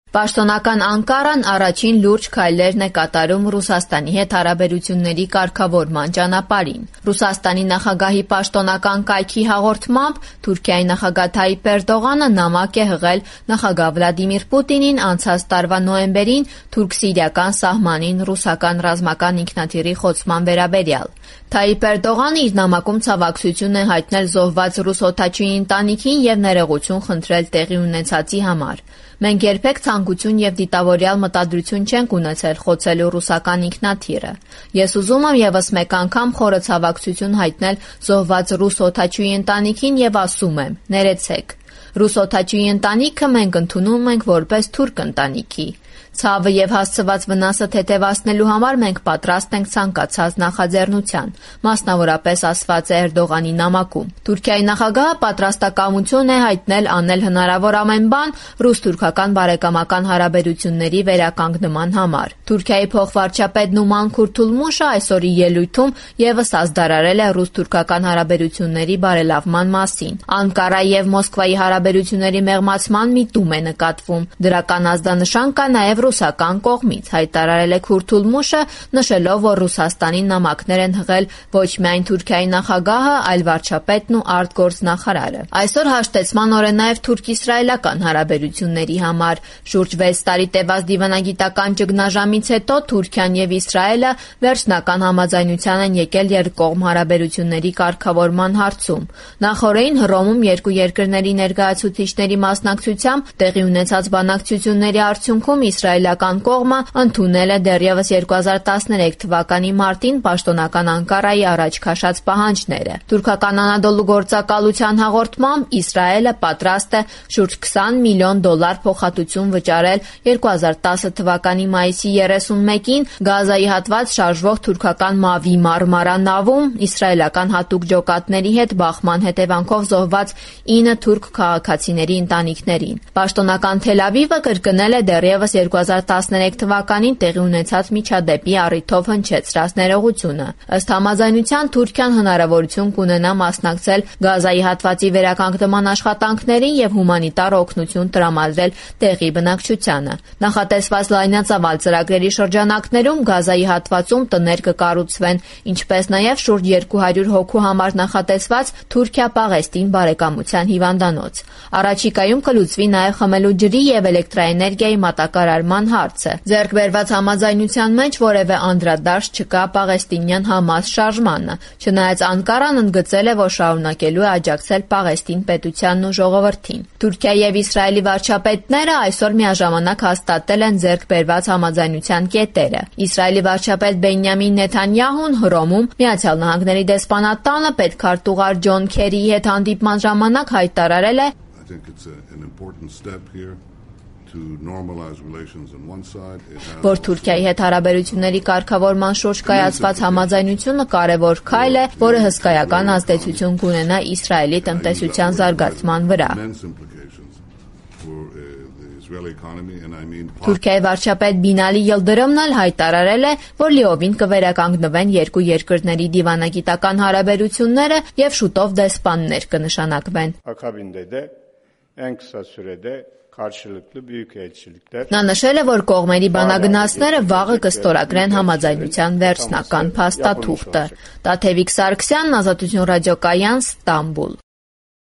Պաշտոնական Անկարան առաջին լուրջ քայլերն է կատարում Ռուսաստանի հետ հարաբերությունների կարգավորման ճանապարհին։ Ռուսաստանի նախագահի պաշտոնական կայքի հաղորդմամբ Թուրքիայի նախագահ Թայիպ Էրդողանը նամակ է հղել նախագահ Վլադիմիր Պուտինին անցած տարվա նոյեմբերին թուրք-սիրիական սահմանին ռուսական ռազմական ինքնաթիռի խոցման վերաբերյալ։ Թայիպ Էրդողանը իր նամակում ցավակցություն է հայտնել զոհված ռուս օդաչուի ընտանիքին եւ ներողություն խնդրել տեղի ունեցածի համար։ Մենք երբեք ցանկություն եւ դիտավորյալ մտադրություն չենք ունեցել խոցելու ռուսական ինքնաթիռը։ Ես ուզում եմ եւս մեկ անգամ խորը ցավակցություն հայտնել զոհված ռուս օդաչուի ընտանիքին եւ ասում եմ՝ ներեցեք։ Ռուս օդաչուի ընտանիքը մենք ընդունում ենք որպես թուրք ընտանիքի։ Ցավը եւ հասցված վնասը թեթևացնելու համար մենք պատրաստ ենք ցանկացած նախաձեռնության, մասնավորապես ասված է Էրդողանի նամակում։ Թուրքիայի նախագահը պատրաստակամություն է հայտնել անել հնարավոր ամեն բան ռուս-թուրքական բարեկամական հարաբերությունների վերականգնման համար։ Թուրքիայի փոխվարչապետ Նուման Քուրթուլմուշը այսօրի ելույթում եւս ազդարարել է ռուս-թուրքական հարաբերությունների բարելավման մասին։ Անկարայի եւ Մոսկվայի հարաբերությունների մեղմացման միտում է նկատվում։ Դրական ազդանշան կա նաեւ ռուսական կողմից, հայտարարել է Քուրթուլմուշը, նշելով, որ Ռուսաստանին նամակներ են հղել ոչ միայն Թուրքիայի նախագահը, այլ վարչապետն ու արտգործնախարարը։ Այսօր հաշտեցման օր է նաև թուրք-իսրայելական հարաբերությունների համար։ Շուրջ 6 տարի տևած դիվանագիտական ճգնաժամից հետո Թուրքիան եւ Իսրայելը վերջնական համաձայնության են եկել երկկողմ հարաբերությունների կարգավորման հարցում։ Նախորդին Հռոմում երկու երկրների ներկայացուցիչների մասնակցությամբ տեղի ունեցած բանակցությունների արդյունքում իսրայելական կողմը ընդունել է դեռևս 2013 թվականի մարտին պաշտոնական Անկարայի առաջ քաշած պահանջները։ Թուրքական Անադոլու գործակալության հաղորդմամբ Իսրայելը պատրաստ է շուրջ $20 միլիոն փոխհատուցում վճարել 2010 թվականի մայիսի 31-ին Գազայի հատված շարժվող թուրքական Մավի Մարմարա նավում իսրայելական հատուկ ջոկատների հետ բախման հետևանքով զոհված 9 թուրք քաղաքացիների ընտանիքներին։ Պաշտոնական Թել Ավիվը կրկնել է դեռևս 2013 թվականին տեղի ունեցած միջադեպի առիթով հնչեցրած ներողությունը։ Ըստ համաձայնության Թուրքիան հնարավորություն կունենա մասնակցել Գազայի հատվածի վերականգնման աշխատանքներին եւ հումանիտար օգնություն տրամադրել տեղի բնակչությանը։ Նախատեսված լայնածավալ ծրագրերի շրջանակներում Գազայի հատվածում տներ կկառուցվեն, ինչպես նաեւ շուրջ 200 հոգու համար նախատեսված Թուրքիա-Պաղեստին բարեկամության հիվանդանոց։ Առաջիկայում կլուծվի նաեւ խմելու ջրի եւ էլեկտրաէներգիայի մատակարարման հարցը։ Ձեռք բերված համաձայնության մեջ որևէ անդրադարձ չկա պաղեստինյան Համաս շարժմանը, չնայած Անկարան ընդգծել է, որ շարունակելու է աջակցել Պաղեստին պետությանն ու ժողովրդին։ Թուրքիայի եւ Իսրայելի վարչապետները այսօր միաժամանակ հաստատել են ձեռք բերված համաձայնության կետերը։ Իսրայելի վարչապետ Բենյամին Նեթանյահուն Հռոմում Միացյալ Նահանգների դեսպանատանը պետքարտուղար Ջոն Քերիի հետ հանդիպման ժամանակ հայտարարել է, որ Թուրքիայի հետ հարաբերությունների կարգավորման շուրջ կայացված համաձայնությունը կարևոր քայլ է, որը հսկայական ազդեցություն կունենա Իսրայելի տնտեսության զարգացման վրա։ Թուրքիայի վարչապետ Բինալի Յիլդրիմն էլ հայտարարել է, որ լիովին կվերականգնվեն երկու երկրների դիվանագիտական հարաբերությունները եւ շուտով դեսպաններ կնշանակվեն։ Նա նշել է, որ կողմերի բանագնացները վաղը կստորագրեն համաձայնության վերջնական փաստաթուղթը։ Տաթևիկ Սարգսյան, Ազատություն ռադիոկայան, Ստամբուլ։